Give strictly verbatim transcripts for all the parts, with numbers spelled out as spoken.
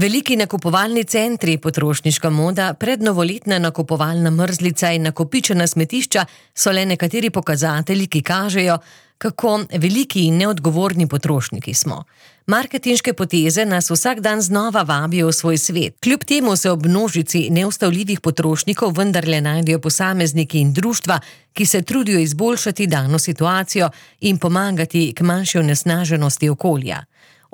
Veliki nakupovalni centri, potrošniška moda, prednovoletna nakupovalna mrzlica in nakopičena smetišča so le nekateri pokazatelji, ki kažejo, kako veliki in neodgovorni potrošniki smo. Marketinške poteze nas vsak dan znova vabijo v svoj svet. Kljub temu se ob množici neustavljivih potrošnikov vendarle najdejo posamezniki in društva, ki se trudijo izboljšati dano situacijo in pomagati k manjši onesnaženosti okolja.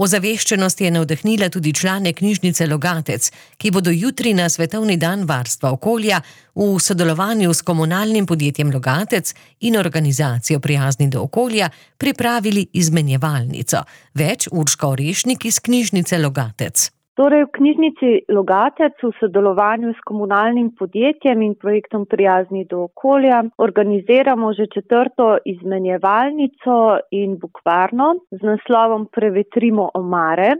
Ozaveščenost je navdahnila tudi člane knjižnice Logatec, ki bodo jutri na Svetovni dan varstva okolja v sodelovanju s komunalnim podjetjem Logatec in organizacijo Prijazni do okolja pripravili izmenjevalnico. Več Urška Orešnik iz knjižnice Logatec. Torej v knjižnici Logatec v sodelovanju s komunalnim podjetjem in projektom Prijazni do okolja organiziramo že četrto izmenjevalnico in bukvarno z naslovom Prevetrimo omare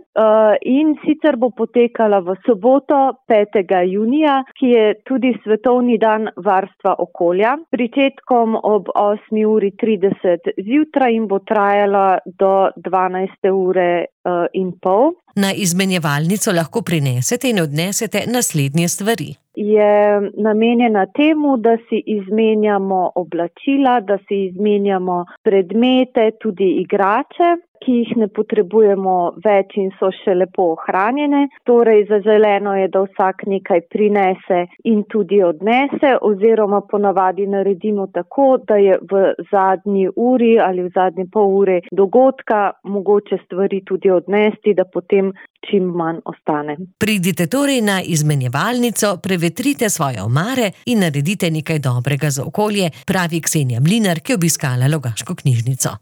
in sicer bo potekala v soboto petega junija, ki je tudi Svetovni dan varstva okolja, pričetkom ob osmi uri trideset zjutraj in bo trajala do dvanajste ure in pol. Na izmenjevalnico lahko prinesete in odnesete naslednje stvari. Je namenjena temu, da si izmenjamo oblačila, da si izmenjamo predmete, tudi igrače, ki jih ne potrebujemo več in so še lepo ohranjene. Torej, zaželeno je, da vsak nekaj prinese in tudi odnese, oziroma ponavadi naredimo tako, da je v zadnji uri ali v zadnji pol ure dogodka mogoče stvari tudi odnesti, da potem čim manj ostane. Pridite torej na izmenjevalnico, prevetrite svoje omare in naredite nekaj dobrega za okolje, pravi Ksenija Mlinar, ki je obiskala Logaško knjižnico.